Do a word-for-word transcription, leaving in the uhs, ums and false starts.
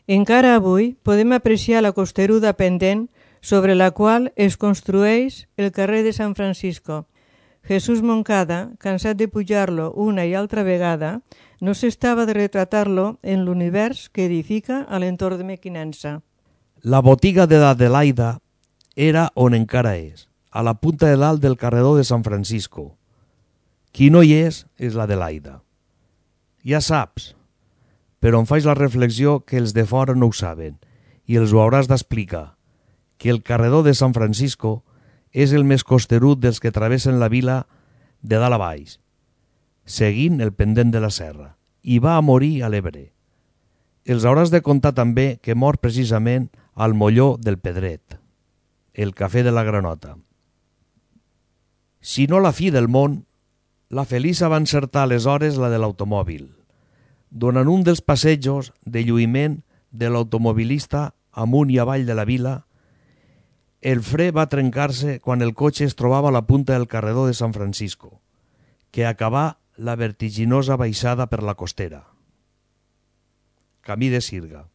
Encara avui podem apreciar la costeruda pendent sobre la qual es construeix el carrer de San Francisco. Jesús Moncada, cansat de pujar-lo una i altra vegada, no s'estava de retratar-lo en l'univers que edifica a l'entorn de Mequinensa. La botiga de l'Adelaida era on encara és, a la punta de dalt del carreró de San Francisco. Qui no hi és, és l'Adelaida. Ja saps, però em faig la reflexió que els de fora no ho saben i els ho hauràs d'explicar, que el carreró de San Francisco és el més costerut dels que travessen la vila de dalt a baix, seguint el pendent de la serra, i va a morir a l'Ebre. Els hauràs de contar també que mor precisament al molló del Pedret, el cafè de la Granota. Si no la fi del món, la Felisa va encertar aleshores la de l'automòbil, donant un dels passejos de lluïment de l'automobilista amunt i avall de la vila. El fre va trencar-se quan el cotxe es trobava a la punta del carreró de San Francisco, que acabà la vertiginosa baixada per la costera. Camí de Sirga.